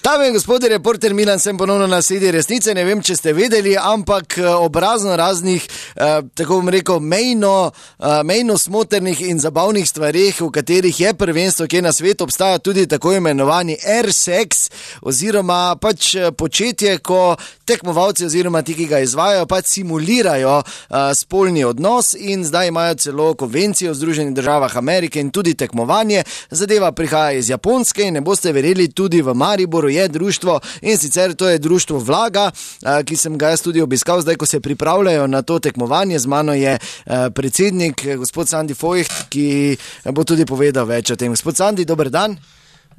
Tam je gospod reporter Milan, sem ponovno na Sledi resnice. Ne vem, če ste vedeli, ampak ob raznih, tako bom rekel, mejno smotrnih in zabavnih stvarih, v katerih je prvenstvo, ki je na svetu, obstaja tudi tako imenovani air sex, oziroma pač početje, ko tekmovalci oziroma ti, ki ga izvajajo, pač simulirajo spolni odnos, in zdaj imajo celo konvencijo v Združenih državah Amerike in tudi tekmovanje. Zadeva prihaja iz Japonske in ne boste verjeli, tudi v Mariboru je društvo, in sicer to je društvo Vlaga, ki sem ga jaz tudi obiskal zdaj, ko se pripravljajo na to tekmovanje. Z mano je predsednik, gospod Sandi Fojht, ki bo tudi povedal več o tem. Gospod Sandi, dober dan.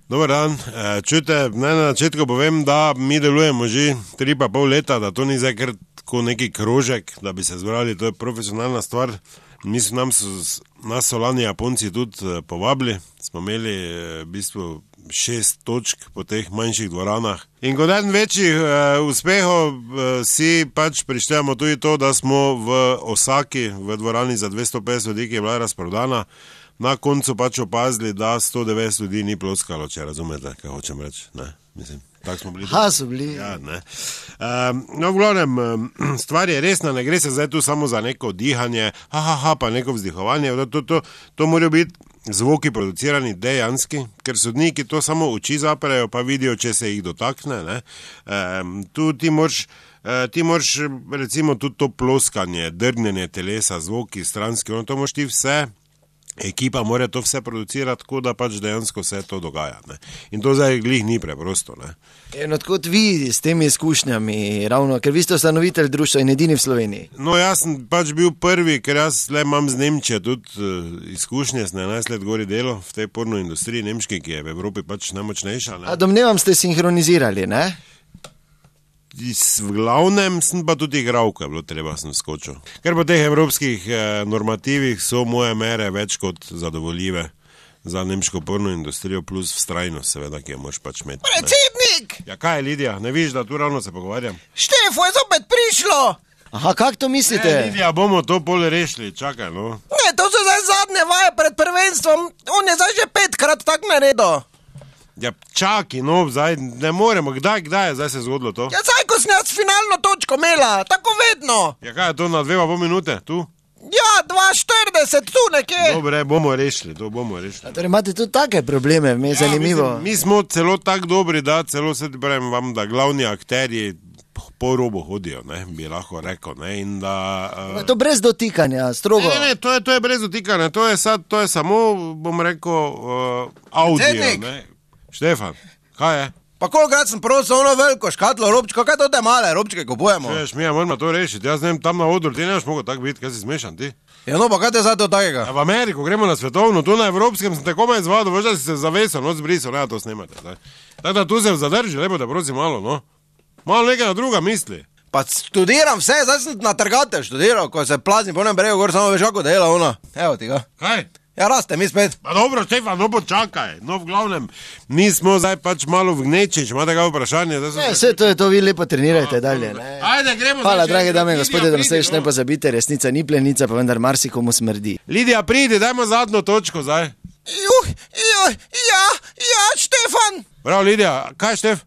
Dober dan. Čujte, naj na začetku povem, da mi delujemo že 3,5 leta, da to ni zdaj kar tako neki krožek, da bi se zbrali, to je profesionalna stvar. Nas so lani Japonci tudi povabili, smo imeli v bistvu 6 točk po teh manjših dvoranah. In kot eden večjih uspehov si pač prištevamo tudi to, da smo v Osaki, v dvorani za 250 ljudi, ki je bila razprodana, na koncu pač opazili, da 190 ljudi ni ploskalo, če razumete, kaj hočem reči. Ne, mislim. Tako smo bili. So bili. Ja, ne. No, v glavnem, stvar je resna, ne gre se zdaj tu samo za neko dihanje, pa neko vzdihovanje, to morajo biti zvoki producirani dejanski, ker sodniki to samo oči zaprejo, pa vidijo, če se jih dotakne, ne. Tu ti moraš recimo tudi to ploskanje, drgnjenje telesa, zvoki stranski, to moraš ti vse. Ekipa mora to vse producirati, tako da pač dejansko vse to dogaja. Ne? In to zdaj glih ni preprosto. Ne? In odkot vi s temi izkušnjami, ravno, ker vi ste ustanovitelj društva in edini v Sloveniji? No, jaz sem pač bil prvi, ker jaz le imam z Nemčije tudi izkušnje, sem 11 let gori delo v tej porno industriji nemški, ki je v Evropi pač najmočnejša. Ne? A domnevam, ste sinhronizirali, ne? V glavnem sem pa tudi igral, ko je bilo treba, sem skočil. Ker po teh evropskih normativih so moje mere več kot zadovoljive za nemško porno industrijo, plus vztrajnost, seveda, ki jo moraš pač imeti. Predsednik! Ja, kaj je, Lidija? Ne vidiš, da tu ravno se pogovarjam? Štefo je zopet prišlo! Aha, kak to mislite? Lidija, bomo to pol rešili, čakaj, no. Ne, to so zdaj zadnje vaje pred prvenstvom, on je zdaj že 5-krat tak naredil. Ja, čaki, no, zdaj ne moremo, kdaj je zdaj se zgodilo to? Ja, zdaj, ko sem jaz finalno točko imela, tako vedno. Ja, kaj je to na 2,5 minute, tu? Ja, 2,40, tu nekje. Dobre, bomo rešili. Torej imate tudi take probleme, me je zanimivo. Mi smo celo tako dobri, da celo se ti pravim vam, da glavni akterji po robu hodijo, ne, bi lahko rekel, ne, in da... To brez dotikanja, strogo. Ne, to je brez dotikanja, to je samo, bom rekel, audio, ne. Štefan, kaj je? Pa kolikrat sem prosil ono veliko škatlo robčko, kaj to te male robčke kupujemo? Čuješ, mi moramo to rešiti, jaz ne vem, tam na odru, ti ne boš mogel tako biti, kaj si smešan ti? Ja, no, pa kaj te zdaj to takega? Ja, v Ameriko gremo na svetovno, tu na evropskem sem te komaj izvadil, veš, da si se zavesel, noc brisal, ne, to snemate, zdaj. Tako da tu se zadrži, lepo te prosim malo, no. Malo nekaj na druga misli. Pa študiram vse, zdaj sem na trgate študiral, ko se plazni po nem bregu gor, samo veš, kako dela ona. Evo ti ga. Kaj? Ja, raste, mi spet. Pa dobro, Štefan, no počakaj. No, v glavnem, mi smo zdaj pač malo v gneči, če imate kaj vprašanje. Vse to je to, vi lepo trenirajte dalje. Ne? Ajde, gremo. Hvala, drage dame in gospodje, da naslednjič ne pozabite, resnica ni plenica, pa vendar marsikomu smrdi. Lidija, pridi, dajmo zadnjo točko zdaj. Ja, Štefan. Prav, Lidija, kaj Štef?